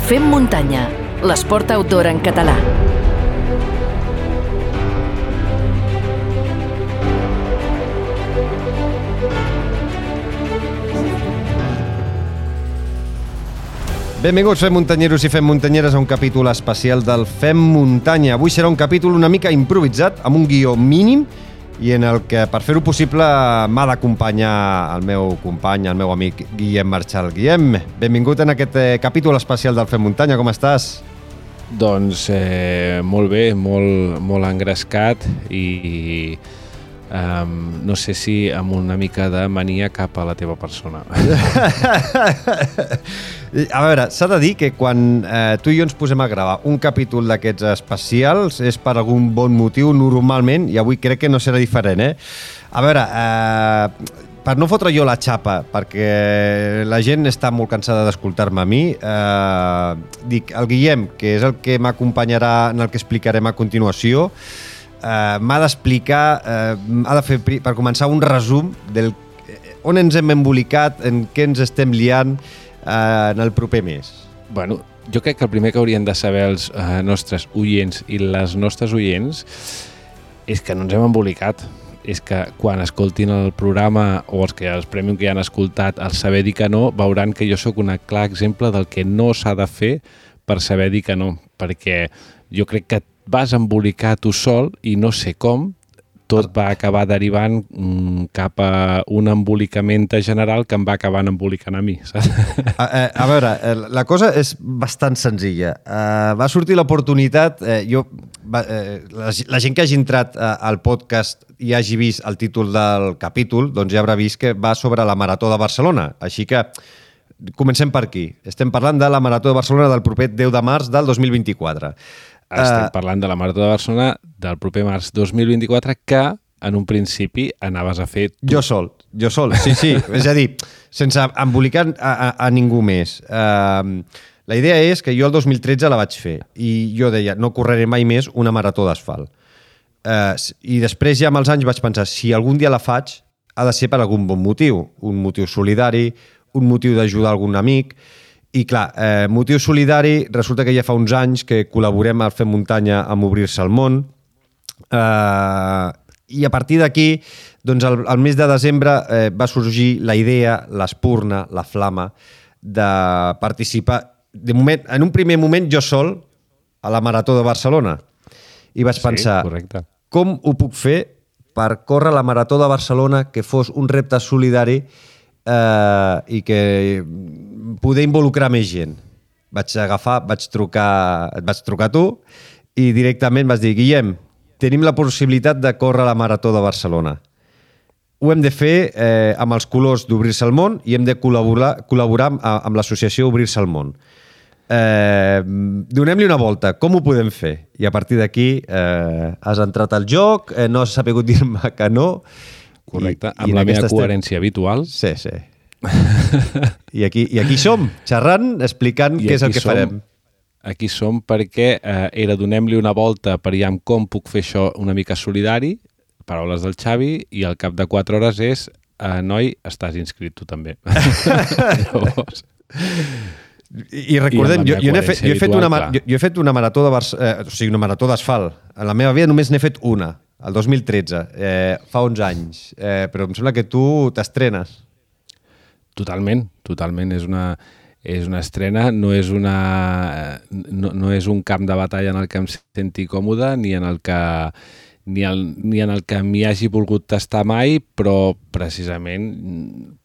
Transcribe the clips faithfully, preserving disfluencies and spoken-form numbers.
Fem muntanya, l'esport outdoor en català. Benvinguts, fem muntanyeros i fem muntanyeres, a un capítol especial del Fem Muntanya. Avui serà un capítol una mica improvisat, amb un guió mínim, i en el que, per fer-ho possible, m'ha d'acompanyar el meu company, el meu amic Guillem Marchal. Guillem, benvingut en aquest eh, capítol especial del Fem Muntanya. Com estàs? Doncs eh, molt bé, molt, molt engrescat i um, no sé si amb una mica de mania cap a la teva persona. A veure, s'ha de dir que quan eh, tu i jo ens posem a gravar un capítol d'aquests especials és per algun bon motiu normalment, i avui crec que no serà diferent, eh? A veure, eh, per no fotre jo la xapa, perquè la gent està molt cansada d'escoltar-me a mi, eh, dic, el Guillem, que és el que m'acompanyarà en el que explicarem a continuació, eh, m'ha d'explicar, eh, ha de fer, per començar, un resum del on ens hem embolicat, en què ens estem liant, en el proper mes. Bueno, jo crec que el primer que haurien de saber els eh, nostres oients i les nostres oients és que no ens hem embolicat. És que quan escoltin el programa o els, que, els premium que ja han escoltat el saber dir que no, veuran que jo sóc un clar exemple del que no s'ha de fer per saber dir que no. Perquè jo crec que et vas embolicar tu sol i no sé com, tot va acabar derivant mm, cap a un embolicament general que em va acabant embolicant a mi. Saps? A, a, a veure, la cosa és bastant senzilla. Uh, va sortir l'oportunitat, eh, jo, va, eh, la, la gent que hagi entrat uh, al podcast i hagi vist el títol del capítol, doncs ja haurà vist que va sobre la Marató de Barcelona. Així que comencem per aquí. Estem parlant de la Marató de Barcelona del proper deu de març del dos mil vint-i-quatre. Estem parlant de la Marató de Barcelona del proper març dos mil vint-i-quatre que en un principi anaves a fer tu. Jo sol, jo sol, sí, sí. És a dir, sense embolicar a, a, a ningú més. Uh, la idea és que jo el dos mil tretze la vaig fer i jo deia, no correré mai més una marató d'asfalt. Uh, I després ja amb els anys vaig pensar, si algun dia la faig, ha de ser per algun bon motiu. Un motiu solidari, un motiu d'ajudar algun amic. I clar, eh, motiu solidari, resulta que ja fa uns anys que col·laborem al Fem Muntanya amb Obrir-se al Món, eh, i a partir d'aquí, doncs el, el mes de desembre eh, va sorgir la idea, l'espurna, la flama, de participar, de moment, en un primer moment jo sol, a la Marató de Barcelona. I vaig pensar, sí, correcte. Com ho puc fer per córrer la Marató de Barcelona que fos un repte solidari Uh, i que poder involucrar més gent. Vaig agafar, vaig trucar, et vaig trucar a tu i directament vas dir, Guillem, tenim la possibilitat de córrer la Marató de Barcelona. Ho hem de fer eh, amb els colors d'Obrir-se al Món i hem de col·laborar, col·laborar amb, amb l'associació Obrir-se al Món. Eh, donem-li una volta, com ho podem fer? I a partir d'aquí eh, has entrat al joc, eh, no has sabut dir-me que no. Correcte, I, amb i la meva coherència estem... habitual. Sí, sí. I aquí, I aquí som, xerrant, explicant I què és el que som, farem. Aquí som perquè eh, era donem-li una volta per ja com puc fer això una mica solidari, paraules del Xavi, i al cap de quatre hores és eh, noi, estàs inscrit tu també. Llavors... I recordem, I jo, jo, he fet, jo, he fet una, jo, jo he fet una marató de Bar- eh, o sigui, una marató d'asfalt. En la meva vida només n'he fet una, el dos mil tretze, eh, fa onze anys. Eh, però em sembla que tu t'estrenes. Totalment, totalment. És una, és una estrena, no és, una, no, no és un camp de batalla en el que em senti còmode, ni en el que ni, el, ni en el que m'hi hagi volgut tastar mai, però precisament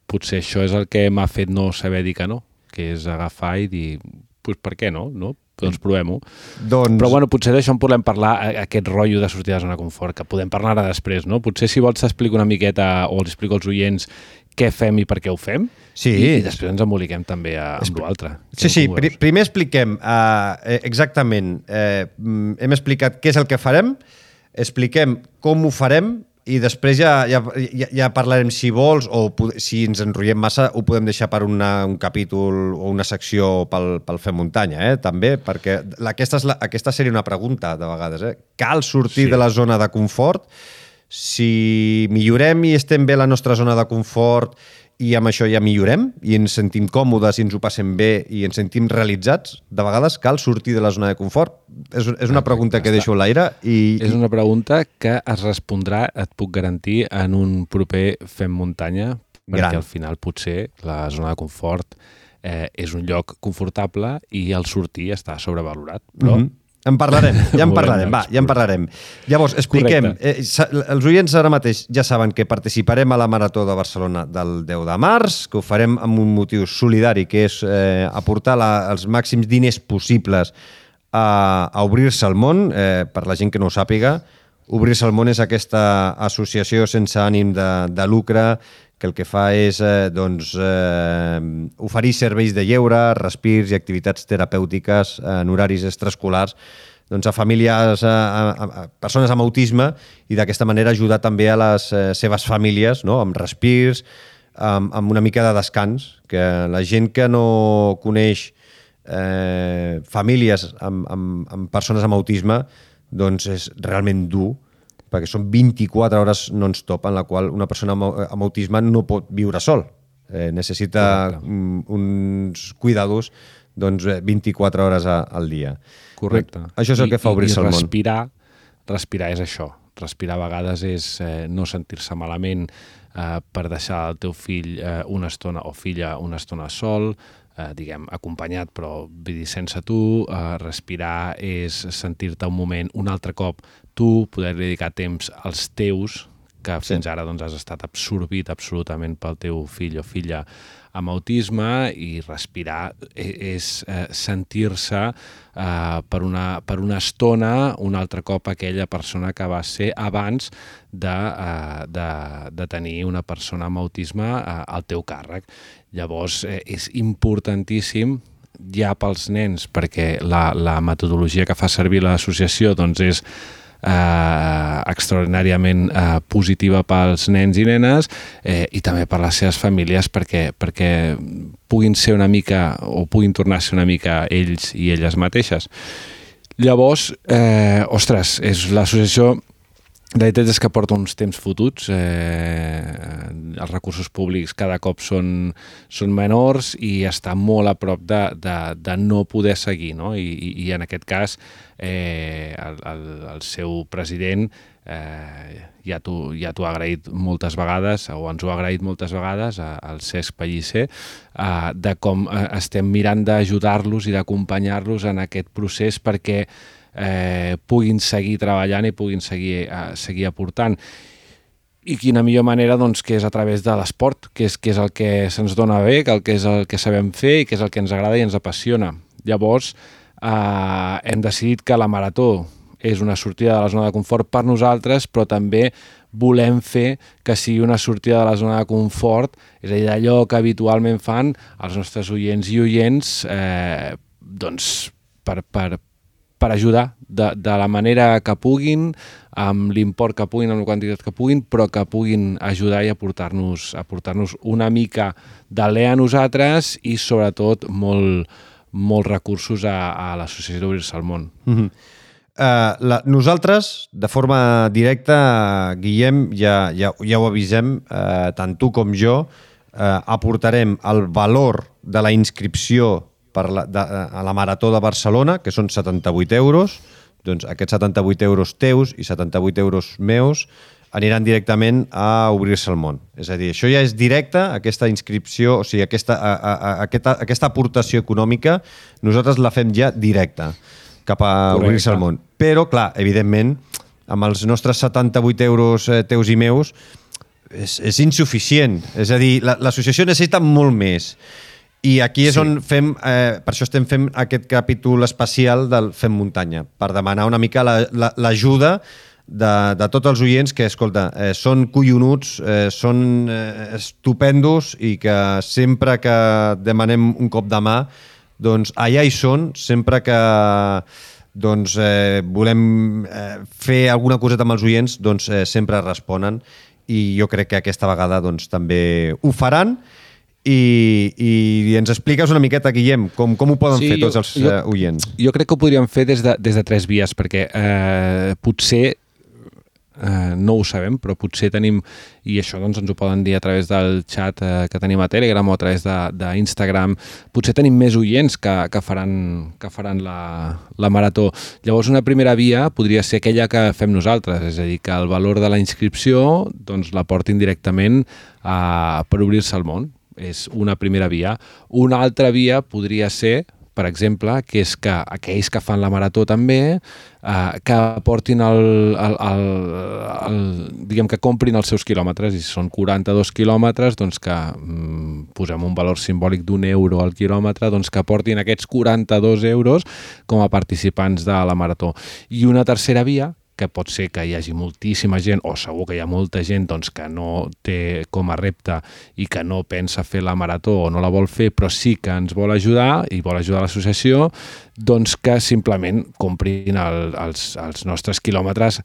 potser això és el que m'ha fet no saber dir que no, que és agafar i dir, pues, per què no? no? Doncs provem-ho. Doncs... Però bueno, potser d'això en podem parlar, aquest rotllo de sortir de la zona de confort, que podem parlar ara després, no? Potser si vols t'explico una miqueta o els explico als oients què fem i per què ho fem, sí. i, i després ens emboliquem també a, amb l'altre. Sí, sí, pr primer expliquem uh, exactament, uh, hem explicat què és el que farem, expliquem com ho farem, i després ja, ja, ja, ja parlarem, si vols, o si ens enrotllem massa, ho podem deixar per una, un capítol o una secció pel, pel Fem Muntanya, eh? També, perquè aquesta, és la, aquesta seria una pregunta, de vegades. Eh? Cal sortir sí. de la zona de confort? Si millorem i estem bé a la nostra zona de confort i amb això ja millorem i ens sentim còmodes i ens ho passem bé i ens sentim realitzats, de vegades cal sortir de la zona de confort. És, és una pregunta que deixo a l'aire. I... És una pregunta que es respondrà, et puc garantir, en un proper Fem Muntanya, perquè Gran. Al final potser la zona de confort eh, és un lloc confortable i el sortir està sobrevalorat. Però... Mm-hmm. En parlarem, ja en parlarem, va, ja en parlarem. Llavors, expliquem. Eh, els oients ara mateix ja saben que participarem a la Marató de Barcelona del deu de març, que ho farem amb un motiu solidari, que és eh, aportar la, els màxims diners possibles a, a Obrir-se al món. Eh, per la gent que no ho sàpiga, Obrir-se al món és aquesta associació sense ànim de, de lucre que el que fa és eh, doncs, eh, oferir serveis de lleure, respirs i activitats terapèutiques en horaris extraescolars doncs, a famílies, a, a, a persones amb autisme i d'aquesta manera ajudar també a les eh, seves famílies, no? Amb respirs, amb, amb una mica de descans, que la gent que no coneix eh, famílies amb, amb, amb persones amb autisme doncs és realment dur, perquè són vint-i-quatre hores non-stop en la qual una persona amb autisme no pot viure sol. Eh, necessita um, uns cuidados doncs, vint-i-quatre hores a, al dia. Correcte. Això és el que fa Obrir-se al món. I respirar, respirar és això. Respirar a vegades és eh, no sentir-se malament eh, per deixar el teu fill eh, una estona o filla una estona sol, eh, diguem, acompanyat, però vull dir, sense tu. Eh, respirar és sentir-te un moment, un altre cop, tu poder dedicar temps als teus, que fins sí. ara doncs, has estat absorbit absolutament pel teu fill o filla amb autisme, i respirar és eh, sentir-se eh, per, una, per una estona un altre cop aquella persona que va ser abans de, eh, de, de tenir una persona amb autisme eh, al teu càrrec. Llavors eh, és importantíssim ja pels nens, perquè la, la metodologia que fa servir l'associació doncs, és Eh, extraordinàriament eh, positiva pels nens i nenes eh, i també per les seves famílies perquè, perquè puguin ser una mica o puguin tornar a ser una mica ells i elles mateixes. Llavors, eh, ostres, és l'associació. La veritat és que porta uns temps fotuts, eh, els recursos públics cada cop són, són menors i està molt a prop de, de, de no poder seguir, no? I, i, i en aquest cas eh, el, el, el seu president eh, ja t'ho ja t'ho ha agraït moltes vegades, o ens ho ha agraït moltes vegades, al Cesc Pellicer, eh, de com estem mirant d'ajudar-los i d'acompanyar-los en aquest procés perquè Eh, puguin seguir treballant i puguin seguir, eh, seguir aportant. I quina millor manera doncs, que és a través de l'esport, que és, que és el que se'ns dona bé, que, el que és el que sabem fer i que és el que ens agrada i ens apassiona. Llavors, eh, hem decidit que la marató és una sortida de la zona de confort per nosaltres, però també volem fer que sigui una sortida de la zona de confort, és a dir, d'allò que habitualment fan els nostres oients i oients, eh, doncs, per, per, per ajudar de, de la manera que puguin, amb l'import que puguin, amb la quantitat que puguin, però que puguin ajudar i aportar-nos aportar-nos una mica d'alè a nosaltres i, sobretot, molt, molts recursos a, a l'associació d'Obrir-se al món. Mm-hmm. uh, la, nosaltres, de forma directa, Guillem, ja, ja, ja ho avisem, uh, tant tu com jo, uh, aportarem el valor de la inscripció per la, de, a la Marató de Barcelona, que són setanta-vuit euros. Doncs aquests setanta-vuit euros teus i setanta-vuit euros meus aniran directament a Obrir-se al món. És a dir, això ja és directe, aquesta inscripció, o sigui, aquesta, a, a, a, aquesta, aquesta aportació econòmica, nosaltres la fem ja directa cap a Obrir-se al món. Però, clar, evidentment, amb els nostres setanta-vuit euros eh, teus i meus, és, és insuficient. És a dir, l'associació necessita molt més. I aquí és sí. on fem, eh, per això estem fent aquest capítol especial del Fem Muntanya, per demanar una mica l'ajuda la, la, de, de tots els oients que, escolta, eh, són collonuts, eh, són eh, estupendos i que sempre que demanem un cop de mà, doncs allà hi són, sempre que doncs, eh, volem eh, fer alguna coseta amb els oients, doncs eh, sempre responen i jo crec que aquesta vegada doncs, també ho faran. I, i ens expliques una miqueta, Guillem, com, com ho poden sí, fer tots els jo, uh, oients? Jo crec que ho podríem fer des de, des de tres vies, perquè eh, potser eh, no ho sabem, però potser tenim, i això doncs, ens ho poden dir a través del xat eh, que tenim a Telegram o a través d'Instagram, potser tenim més oients que, que faran, que faran la, la marató. Llavors, una primera via podria ser aquella que fem nosaltres, és a dir, que el valor de la inscripció doncs, la portin directament a, per obrir-se al món. És una primera via. Una altra via podria ser, per exemple, que és que aquells que fan la marató també, eh, que portin el, el, el, el, diguem que comprin els seus quilòmetres, i si són quaranta-dos quilòmetres, doncs que mm, posem un valor simbòlic d'un euro al quilòmetre, doncs que portin aquests quaranta-dos euros com a participants de la marató. I una tercera via, que pot ser que hi hagi moltíssima gent, o segur que hi ha molta gent doncs, que no té com a repte i que no pensa fer la marató o no la vol fer, però sí que ens vol ajudar i vol ajudar l'associació, doncs que simplement comprin el, els, els nostres quilòmetres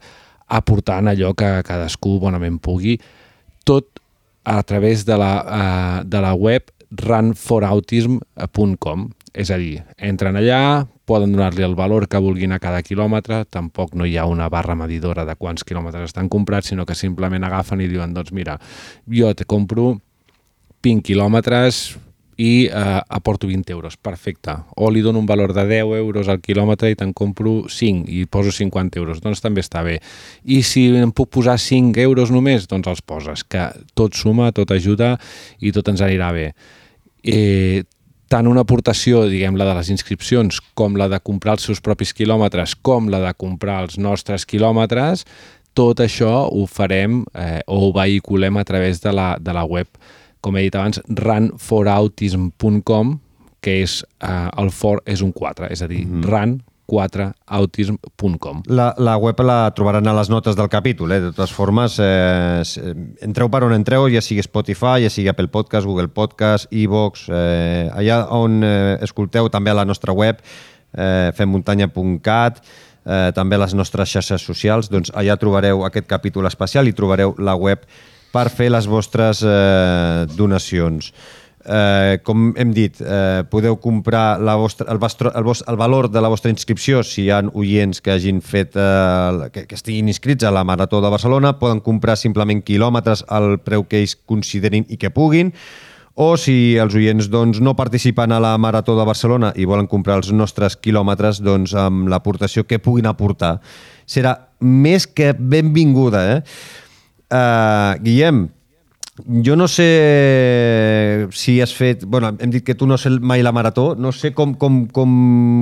aportant allò que cadascú bonament pugui, tot a través de la, uh, de la web run for autism punt com. És a dir, entren allà, poden donar-li el valor que vulguin a cada quilòmetre, tampoc no hi ha una barra medidora de quants quilòmetres estan comprats, sinó que simplement agafen i diuen, doncs mira, jo te compro vint quilòmetres i eh, aporto vint euros, perfecte. O li dono un valor de deu euros al quilòmetre i te'n compro cinc i poso cinquanta euros, doncs també està bé. I si em puc posar cinc euros només, doncs els poses, que tot suma, tot ajuda i tot ens anirà bé. Eh, tant una aportació, diguem, la de les inscripcions, com la de comprar els seus propis quilòmetres, com la de comprar els nostres quilòmetres, tot això ho farem eh, o ho vehiculem a través de la, de la web, com he dit abans, run for autism punt com, que és, eh, el for és un quatre, és a dir, mm-hmm. run quatre autism punt com. La, la web la trobaran a les notes del capítol, eh? De totes formes, eh, entreu per on entreu, ja sigui Spotify, ja sigui Apple Podcast, Google Podcast, iVoox, eh, allà on eh, escolteu també a la nostra web, eh, fem muntanya punt cat, eh, també a les nostres xarxes socials, doncs allà trobareu aquest capítol especial i trobareu la web per fer les vostres eh, donacions. Eh, com hem dit, eh, podeu comprar la vostra, el, vostre, el, vostre, el valor de la vostra inscripció si hi ha oients que hagin fet eh, que, que estiguin inscrits a la Marató de Barcelona, poden comprar simplement quilòmetres al preu que ells considerin i que puguin, o si els oients doncs, no participen a la Marató de Barcelona i volen comprar els nostres quilòmetres, doncs amb l'aportació que puguin aportar serà més que benvinguda. Eh? Uh, Guillem, jo no sé si has fet... Bueno, hem dit que tu no sé mai la marató, no sé com, com, com,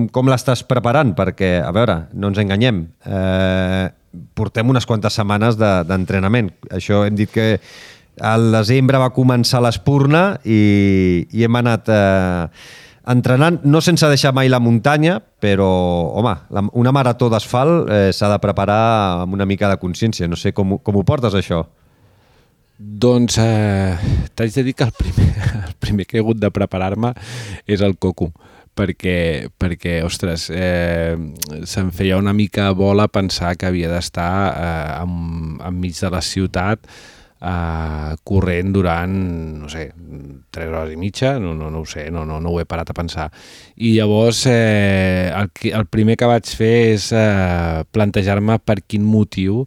com l'estàs preparant, perquè, a veure, no ens enganyem, eh, portem unes quantes setmanes d'entrenament. De, Això hem dit que al desembre va començar l'Espurna i, i hem anat eh, entrenant, no sense deixar mai la muntanya, però, home, la, una marató d'asfalt eh, s'ha de preparar amb una mica de consciència. No sé com, com ho portes, això. Doncs eh, t'haig de dir que el primer, el primer que he hagut de preparar-me és el coco, perquè, perquè ostres, eh, se'm feia una mica bola pensar que havia d'estar eh, en, enmig de la ciutat eh, corrent durant, no sé, tres hores i mitja, no, no, no ho sé, no, no, no ho he parat a pensar. I llavors eh, el, el primer que vaig fer és eh, plantejar-me per quin motiu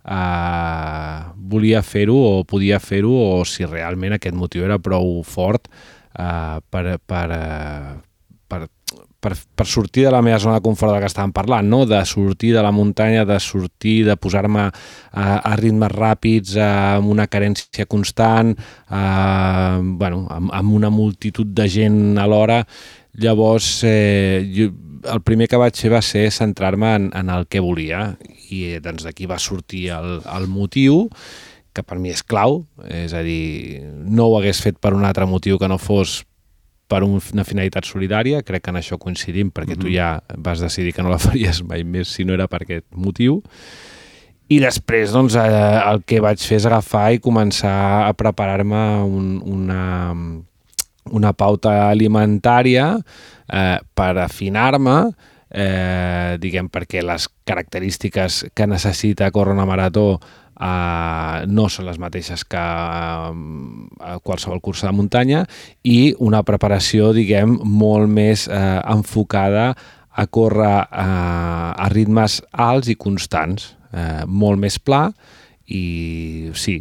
Uh, volia fer-ho o podia fer-ho, o si realment aquest motiu era prou fort uh, per, per, uh, per, per, per sortir de la meva zona de confort del que estàvem parlant, no? De sortir de la muntanya, de sortir, de posar-me uh, a ritmes ràpids, uh, amb una carència constant, uh, bueno, amb, amb una multitud de gent alhora. Llavors, eh, jo, el primer que vaig fer va ser centrar-me en, en el que volia, i doncs d'aquí va sortir el, el motiu, que per mi és clau, és a dir, no ho hagués fet per un altre motiu que no fos per una finalitat solidària, crec que en això coincidim, perquè mm-hmm. tu ja vas decidir que no la faries mai més si no era per aquest motiu. I després doncs, eh, el que vaig fer és agafar i començar a preparar-me un, una, una pauta alimentària eh, per afinar-me, eh, diguem, perquè les característiques que necessita córrer una marató Uh, no són les mateixes que uh, a qualsevol cursa de muntanya, i una preparació, diguem, molt més uh, enfocada a córrer uh, a ritmes alts i constants. eh, molt més pla i sí,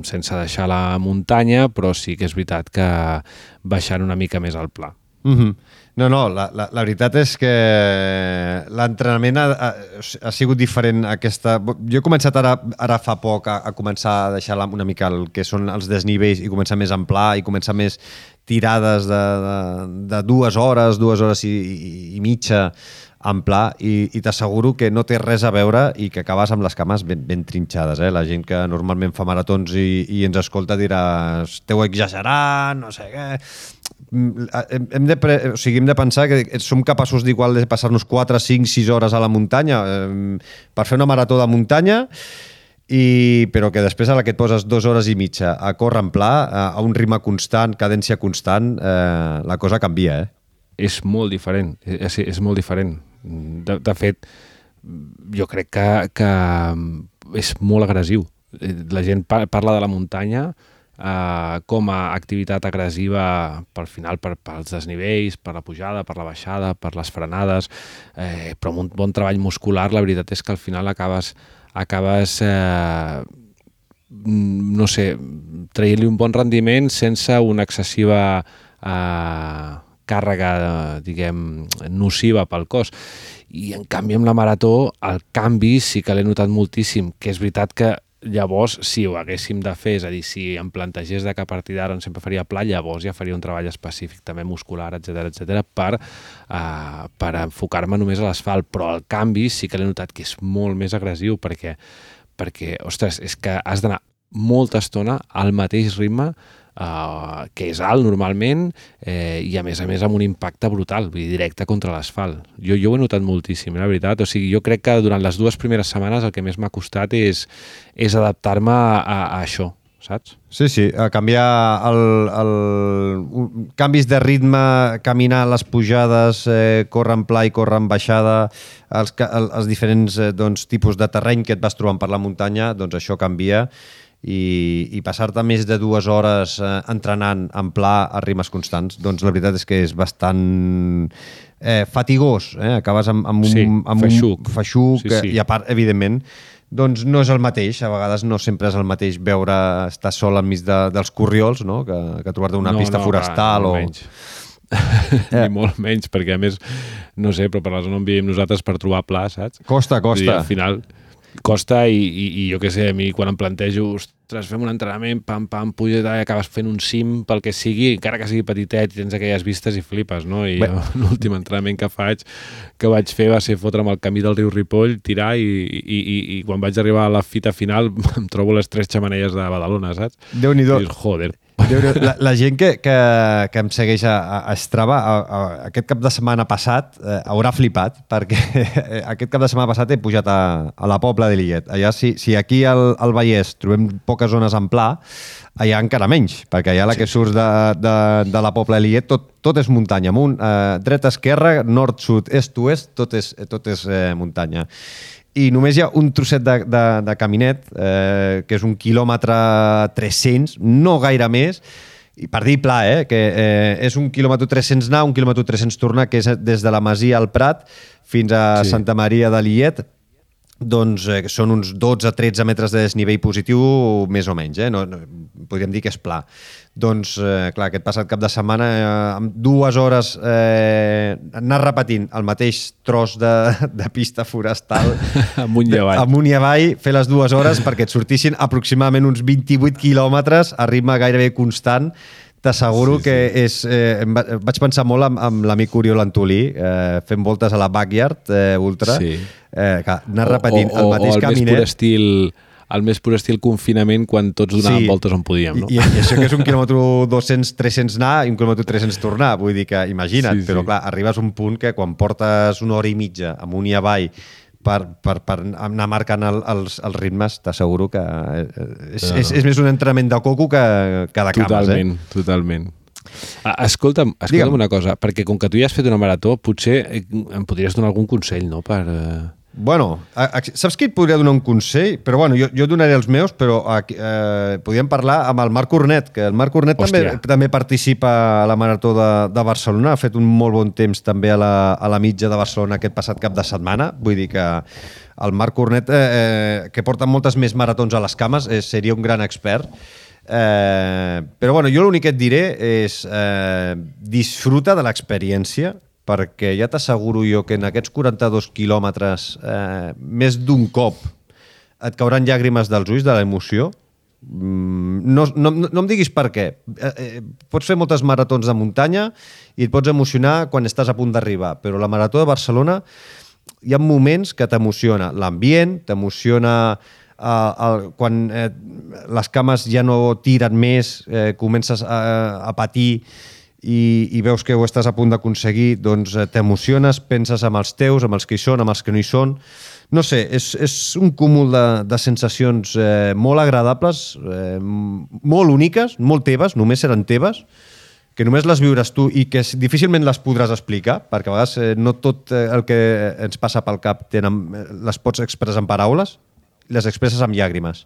sense deixar la muntanya, però sí que és veritat que baixant una mica més al pla. Mm-hmm. No, no, la, la, la veritat és que l'entrenament ha, ha, ha sigut diferent aquesta... Jo he començat ara, ara fa poc a, a començar a deixar una mica el que són els desnivells i començar més en pla i començar més tirades de, de, de dues hores, dues hores i, i, i mitja en pla i, i t'asseguro que no té res a veure i que acabes amb les cames ben, ben trinxades. Eh? La gent que normalment fa maratons i, i ens escolta dirà esteu exagerant, no sé què... Hem, hem, de pre... o sigui, hem de pensar que som capaços d'igual de passar-nos quatre, cinc, sis hores a la muntanya eh, per fer una marató de muntanya, i, però que després a la que et poses dues hores i mitja a córrer en pla, a, a un ritme constant, cadència constant, eh, la cosa canvia, eh? És molt diferent, és, és molt diferent. De, de fet, jo crec que, que és molt agressiu. La gent parla de la muntanya eh, com a activitat agressiva pel final, per, pels desnivells, per la pujada, per la baixada, per les frenades, eh, però amb un bon treball muscular la veritat és que al final acabes, acabes eh, no sé, traient-li un bon rendiment sense una excessiva eh, càrrega, diguem, nociva pel cos. I en canvi amb la marató el canvi sí que l'he notat moltíssim, que és veritat que llavors si ho haguéssim de fer, és a dir, si em plantegés de que a partir d'ara sempre faria pla, llavors ja faria un treball específic també muscular, etcètera, etcètera, per, uh, per enfocar-me només a l'asfalt, però el canvi sí que l'he notat que és molt més agressiu perquè, perquè ostres, és que has d'anar molta estona al mateix ritme, Uh, que és alt normalment eh, i a més a més amb un impacte brutal, vull dir, directe contra l'asfalt. Jo, jo ho he notat moltíssim, la veritat. O sigui, jo crec que durant les dues primeres setmanes el que més m'ha costat és, és adaptar-me a, a, a això, saps? Sí, sí, a canviar el, el, canvis de ritme, caminar les pujades, eh, córrer en pla i córrer en baixada, els, els diferents eh, doncs, tipus de terreny que et vas trobant per la muntanya, doncs això canvia. I, i passar-te més de dues hores eh, entrenant en pla a ritmes constants, doncs la veritat és que és bastant eh, fatigós, eh? Acabes amb, amb un, sí, amb feixuc, un feixuc sí, sí. I a part, evidentment, doncs no és el mateix, a vegades no sempre és el mateix veure estar sol enmig de, dels corriols, no? que, que trobar-te una no, pista no, forestal clar, o... menys. Ni molt menys, perquè a més, no sé, però per la zona on vivim nosaltres per trobar pla, saps? Costa, costa. I al final costa i, i, i jo què sé, a mi quan em plantejo, ostres, fem un entrenament, pam, pam, puja i acabes fent un cim pel que sigui, encara que sigui petitet i tens aquelles vistes i flipes, no? I l'últim entrenament que faig, que vaig fer va ser fotre'm al camí del riu Ripoll, tirar i, i, i, i quan vaig arribar a la fita final em trobo les tres xemeneies de Badalona, saps? Déu-n'hi-do. I dius, joder. La, la gent que, que, que em segueix a, a Strava a, a, aquest cap de setmana passat eh, haurà flipat perquè aquest cap de setmana passat he pujat a, a la Pobla de Lillet. Allà, si, si aquí al, al Vallès trobem poques zones en pla, allà encara menys, perquè allà la que surts de, de, de la Pobla de Lillet tot, tot és muntanya amunt, eh, dreta, esquerra, nord, sud, est, oest, tot és, tot és eh, muntanya. I només hi ha un trosset de, de, de caminet, eh, que és un quilòmetre tres-cents, no gaire més, i per dir pla, eh, que eh, és un quilòmetre tres-cents anar, un quilòmetre tres-cents tornar, que és des de la Masia al Prat fins a sí. Santa Maria de Lillet, doncs eh, són uns dotze a tretze metres de desnivell positiu, més o menys, eh? no, no, podríem dir que és pla. Doncs, eh, clar, aquest passat cap de setmana, eh, amb dues hores eh, anar repetint el mateix tros de, de pista forestal amunt i avall. amunt i avall, fer les dues hores perquè et sortissin aproximadament uns vint-i-vuit quilòmetres a ritme gairebé constant. T'asseguro sí, sí. que és... Eh, vaig pensar molt amb, amb l'amic Oriol Antolí, eh, fent voltes a la Backyard eh, Ultra, sí. eh, que anar repetint o, o, el mateix o el caminet... Més pur estil, el més pur estil confinament quan tots donàvem sí. voltes on podíem, no? I, i això que és un quilòmetre dos-cents tres-cents anar i un quilòmetre tres-cents tornar, vull dir que imagina't, sí, sí. però clar, arribes a un punt que quan portes una hora i mitja amunt i avall per, per, per anar marcant el, els, els ritmes, t'asseguro que és, no, no. És, és més un entrenament de coco que, que de cames. Totalment, eh? totalment. Escolta'm, escolta'm una cosa, perquè com que tu ja has fet una marató, potser em podries donar algun consell, no?, per... Bueno, a, a, saps qui et podria donar un consell? Però bueno, jo, jo donaré els meus, però eh, podríem parlar amb el Marc Cornet, que el Marc Cornet també, també participa a la Marató de, de Barcelona, ha fet un molt bon temps també a la, a la mitja de Barcelona aquest passat cap de setmana, vull dir que el Marc Cornet, eh, que porta moltes més maratons a les cames, eh, seria un gran expert. Eh, però bueno, jo l'únic que et diré és eh, disfruta de l'experiència, perquè ja t'asseguro jo que en aquests quaranta-dos quilòmetres eh, més d'un cop et cauran llàgrimes dels ulls de l'emoció. No, no, no em diguis per què. Eh, eh, pots fer moltes maratons de muntanya i et pots emocionar quan estàs a punt d'arribar, però la Marató de Barcelona hi ha moments que t'emociona l'ambient, t'emociona Uh, el, quan eh, les cames ja no tiren més, eh, comences a, a patir i, i veus que ho estàs a punt d'aconseguir, doncs eh, t'emociones, penses amb els teus, amb els que hi són, amb els que no hi són. No sé, és, és un cúmul de, de sensacions eh, molt agradables, eh, molt úniques, molt teves, només seran teves, que només les viuràs tu i que difícilment les podràs explicar, perquè a vegades eh, no tot el que ens passa pel cap tenen, les pots expressar en paraules, les expresses amb llàgrimes.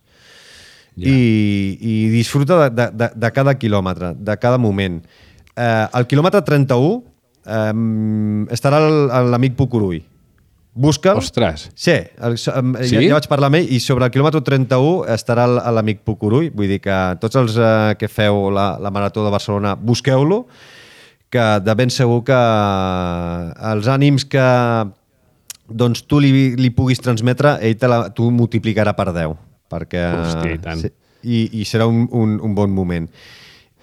Yeah. I, i disfruta de, de, de cada quilòmetre, de cada moment. Eh, al quilòmetre trenta-u eh, estarà l'amic Pucurull. Busca'l. Ostres. Sí, el, sí? Ja, ja vaig parlar amb ell i sobre el quilòmetre trenta-u estarà l'amic Pucurull. Vull dir que tots els eh, que feu la, la Marató de Barcelona, busqueu-lo, que de ben segur que els ànims que doncs tu li, li puguis transmetre, ell te la, tu multiplicarà per deu. Perquè, hòstia, i tant. I, i serà un, un, un bon moment.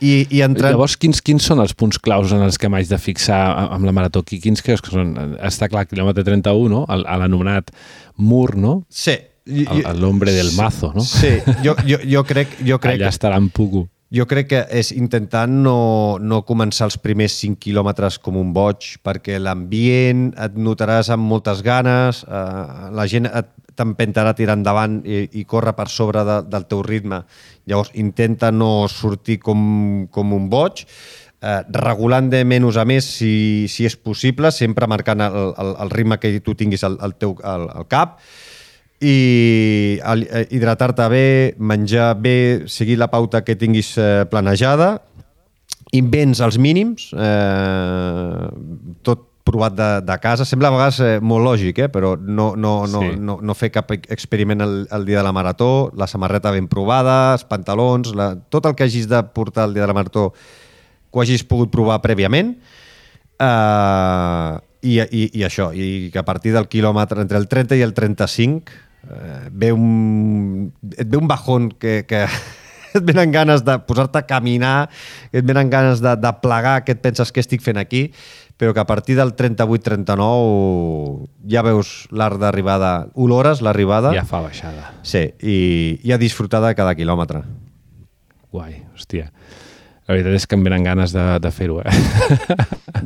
I, i entrant... Llavors, quins, quins són els punts claus en els que m'haig de fixar amb la Marató? Quins creus que són? Està clar, quilòmetre trenta-u, no? A l'anomenat mur, no? Sí. L'hombre del mazo, no? Sí, jo, jo, jo crec... Jo crec allà estarà en Pucu. Jo crec que és intentar no, no començar els primers cinc quilòmetres com un boig, perquè l'ambient et notaràs amb moltes ganes, eh, la gent t'empentarà a tirar endavant i, i córrer per sobre de, del teu ritme. Llavors, intenta no sortir com, com un boig, eh, regulant de menys a més si, si és possible, sempre marcant el, el, el ritme que tu tinguis al, al teu al, al cap, i hidratar-te bé, menjar bé, seguir la pauta que tinguis eh, planejada, invents els mínims, eh, tot provat de, de casa. Sembla a vegades eh, molt lògic, eh, però no, no, no, sí. no, no fer cap experiment el, el dia de la Marató, la samarreta ben provada, els pantalons, la, tot el que hagis de portar el dia de la Marató que ho hagis pogut provar prèviament, eh, i, i, i això, i que a partir del quilòmetre entre el trenta i el trenta-cinc eh, ve un, et ve un bajón que, que et venen ganes de posar-te a caminar, et venen ganes de, de plegar, que et penses que estic fent aquí, però que a partir del trenta-vuit trenta-nou ja veus l'art d'arribada, olores l'arribada. Ja fa baixada. Sí, i, i a disfrutar de cada quilòmetre. Guai, hòstia. La veritat és que em venen ganes de, de fer-ho, eh?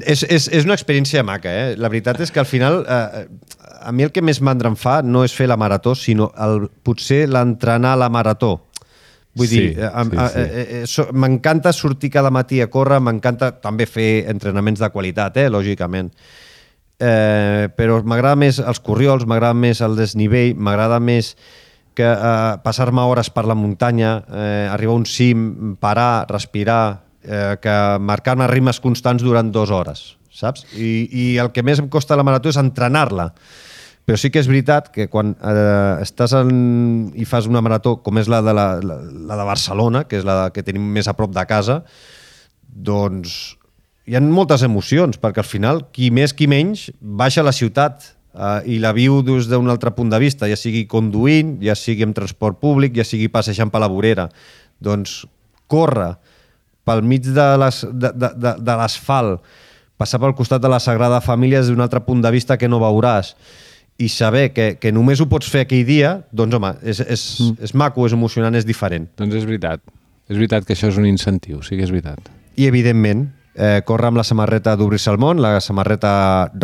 és, és, és una experiència maca, eh? La veritat és que al final, eh, a mi el que més mandra em fa no és fer la marató, sinó el, potser l'entrenar a la marató. Vull sí, dir, eh, sí, sí. Eh, eh, so, m'encanta sortir cada matí a córrer, m'encanta també fer entrenaments de qualitat, eh, lògicament. Eh, però m'agrada més els corriols, m'agrada més el desnivell, m'agrada més que eh, passar-me hores per la muntanya, eh, arribar a un cim, parar, respirar, eh, que marcar-me ritmes constants durant dues hores, saps? I, i el que més em costa la marató és entrenar-la. Però sí que és veritat que quan eh, estàs en, i fas una marató com és la de, la, la, la de Barcelona, que és la que tenim més a prop de casa, doncs hi ha moltes emocions, perquè al final, qui més qui menys, baixa a la ciutat uh, i la viu des d'un altre punt de vista, ja sigui conduint, ja sigui amb transport públic, ja sigui passejant per la vorera. Doncs córrer pel mig de les, de, de, de, de l'asfalt, passar pel costat de la Sagrada Família des d'un altre punt de vista que no veuràs, i saber que, que només ho pots fer aquell dia, doncs home, és, és, mm. és maco, és emocionant, és diferent. Doncs és veritat. És veritat que això és un incentiu, sí que és veritat. I evidentment, eh, córrer amb la samarreta d'Obrir-se al món, la samarreta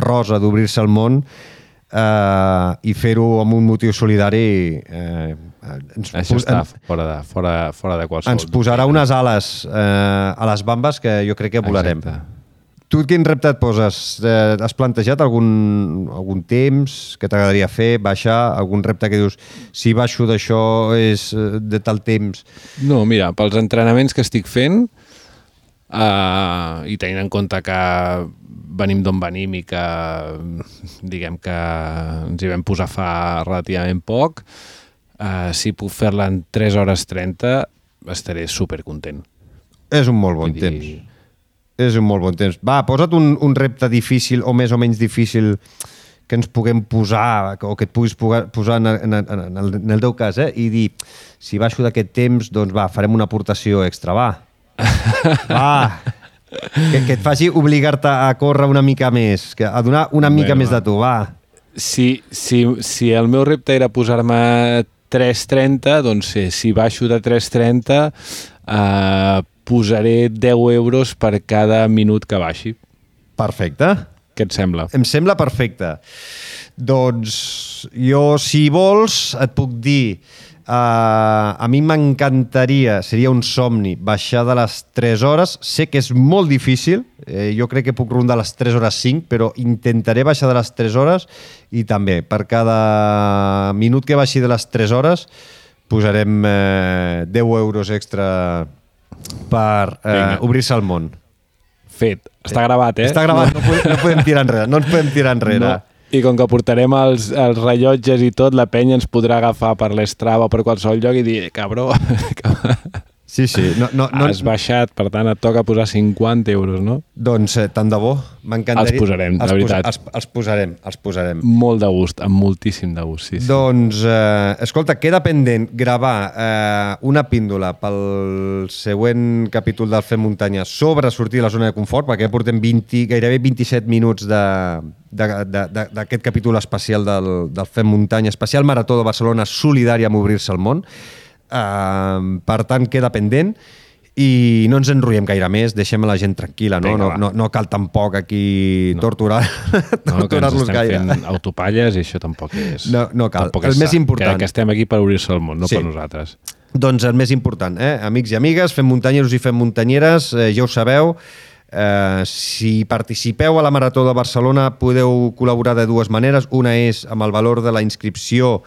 rosa d'Obrir-se al món, eh, i fer-ho amb un motiu solidari... Eh, ens, això està en, fora, de, fora, fora de qualsevol... Ens posarà unes ales eh, a les bambes que jo crec que volarem. Exacte. Tu quin repte et poses? Eh, has plantejat algun, algun temps que t'agradaria fer, baixar? Algun repte que dius, si baixo d'això és de tal temps? No, mira, pels entrenaments que estic fent, uh, i tenint en compte que venim d'on venim i que diguem que ens hi vam posar fa relativament poc, uh, si puc fer-la en tres hores trenta estaré supercontent. És un molt bon Vull temps. Dir... És un molt bon temps. Va, posa't un, un repte difícil o més o menys difícil que ens puguem posar o que et puguis posar en, en, en, el, en el teu cas, eh? I dir, si baixo d'aquest temps, doncs va, farem una aportació extra, va. Va. Que, que et faci obligar-te a córrer una mica més, que, a donar una mica Bé, més va. de tu, va. Si, si, si el meu repte era posar-me tres trenta, doncs sí, si baixo de tres trenta... Eh, posaré deu euros per cada minut que baixi. Perfecte. Què et sembla? Em sembla perfecte. Doncs jo, si vols, et puc dir, uh, a mi m'encantaria, seria un somni, baixar de les tres hores. Sé que és molt difícil, eh, jo crec que puc rondar les tres hores cinc, però intentaré baixar de les tres hores i també, per cada minut que baixi de les tres hores, posarem eh, deu euros extra per eh, obrir-se al món. Fet. Està gravat, eh? Està gravat, no, no, podem, no podem tirar enrere. No ens podem tirar enrere. No. I com que portarem els, els rellotges i tot, la penya ens podrà agafar per l'Strava o per qualsevol lloc i dir, cabró, sí, sí. No, no, no, has baixat, per tant et toca posar cinquanta euros, no? Doncs eh, tant de bo. M'encantaria. Els posarem, de veritat. Els, els posarem, els posarem. Molt de gust, amb moltíssim de gust, sí. sí. Doncs, eh, escolta, queda pendent gravar eh, una píndola pel següent capítol del Fem Muntanya sobre sortir de la zona de confort, perquè portem vint, gairebé vint-i-set minuts de... d'aquest capítol especial del, del Fem Muntanya, especial Marató de Barcelona solidària amb obrir-se al món. Uh, per tant, queda pendent i no ens enrotllem gaire més, deixem la gent tranquil·la, no? No, no, no cal tampoc aquí no. torturar, no, torturar-los gaire. No, que ens estem fent autopalles i això tampoc és... No, no cal. Tampoc el és més important... Que, que estem aquí per obrir-se al món, no sí. per nosaltres. Doncs el més important, eh? Amics i amigues, fem muntanyeros i fem muntanyeres, eh, ja ho sabeu. Eh, si participeu a la Marató de Barcelona podeu col·laborar de dues maneres. Una és amb el valor de la inscripció,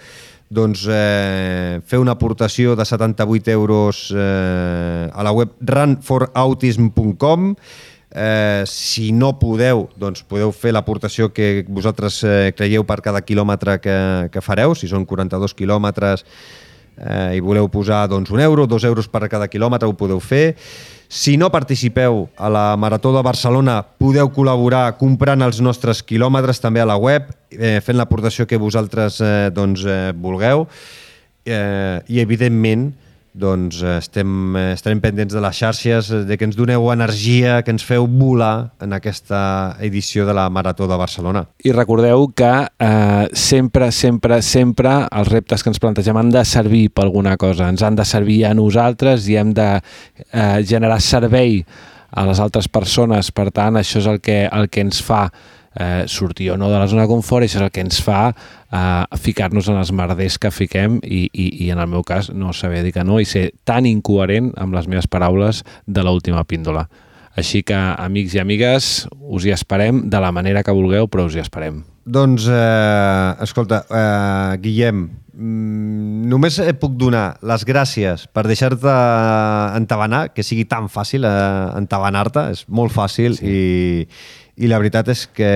doncs eh, fer una aportació de setanta-vuit euros eh, a la web run for autism punt com. Eh, si no podeu, doncs podeu fer l'aportació que vosaltres eh, creieu per cada quilòmetre que, que fareu. Si són quaranta-dos quilòmetres eh, i voleu posar doncs, un euro, dos euros per cada quilòmetre, ho podeu fer. Si no participeu a la Marató de Barcelona, podeu col·laborar comprant els nostres quilòmetres també a la web, eh, fent l'aportació que vosaltres eh, doncs, eh, vulgueu. Eh, I, evidentment, doncs, estem, estarem pendents de les xarxes, de que ens doneu energia, que ens feu volar en aquesta edició de la Marató de Barcelona. I recordeu que eh, sempre, sempre, sempre els reptes que ens plantegem han de servir per alguna cosa, ens han de servir a nosaltres i hem de eh, generar servei a les altres persones. Per tant, això és el que, el que ens fa eh, sortir o no de la zona de confort, i això és el que ens fa eh, ficar-nos en els merders que fiquem i, i, i en el meu cas no saber dir que no i ser tan incoherent amb les meves paraules de l'última píndola. Així que, amics i amigues, us hi esperem de la manera que vulgueu, però us hi esperem. Doncs, eh, escolta, eh, Guillem, només et puc donar les gràcies per deixar-te entabanar, que sigui tan fàcil eh, entabanar-te, és molt fàcil, sí. i, i la veritat és que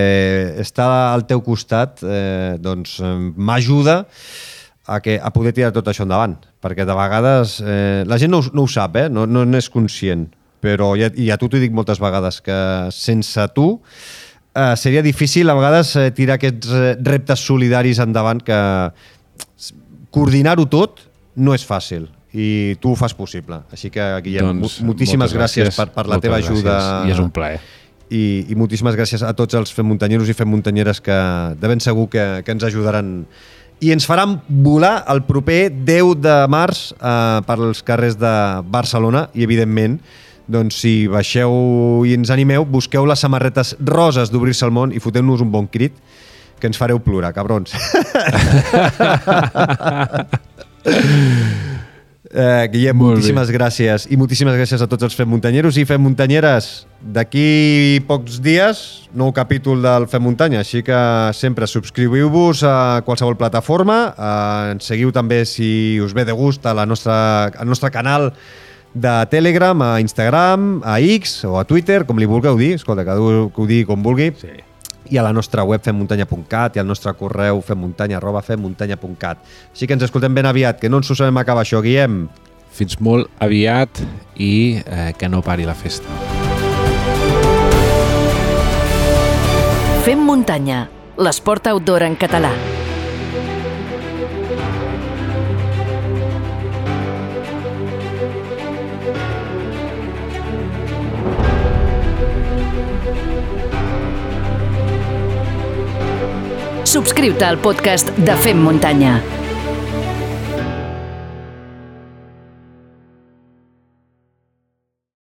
estar al teu costat eh, doncs, m'ajuda a, que, a poder tirar tot això endavant, perquè de vegades eh, la gent no, no ho sap, eh? no, no n'és conscient, però ja, i a tu t'ho dic moltes vegades, que sense tu eh, seria difícil a vegades eh, tirar aquests eh, reptes solidaris endavant, que coordinar-ho tot no és fàcil i tu ho fas possible. Així que, Guillem, doncs, moltíssimes gràcies, gràcies per, per la teva ajuda. Gràcies. I és un plaer. I, i moltíssimes gràcies a tots els fem muntanyeros i fem muntanyeres que de ben segur que, que ens ajudaran i ens faran volar el proper deu de març eh, per als carrers de Barcelona i, evidentment, doncs, si baixeu i ens animeu, busqueu les samarretes roses d'Obrir-se al món i foteu-nos un bon crit, que ens fareu plorar, cabrons. Eh, Guillem, Molt moltíssimes bé. gràcies i moltíssimes gràcies a tots els Fem Muntanyeros i Fem Muntanyeres. D'aquí pocs dies, nou capítol del Fem Muntanya, així que sempre subscriviu-vos a qualsevol plataforma, eh, ens seguiu també si us ve de gust a la nostra, al nostre canal de Telegram, a Instagram, a X o a Twitter, com li vulgueu dir, escolta, cada un que ho digui com vulgui. Sí. I a la nostra web femmuntanya punt cat i al nostre correu femmuntanya arroba femmuntanya punt cat. Així que ens escoltem ben aviat, que no ens ho sabem acabar això, Guillem. Fins molt aviat i eh, que no pari la festa. Fem muntanya, l'esport outdoor en català. Subscriu-te al podcast de Fem Muntanya.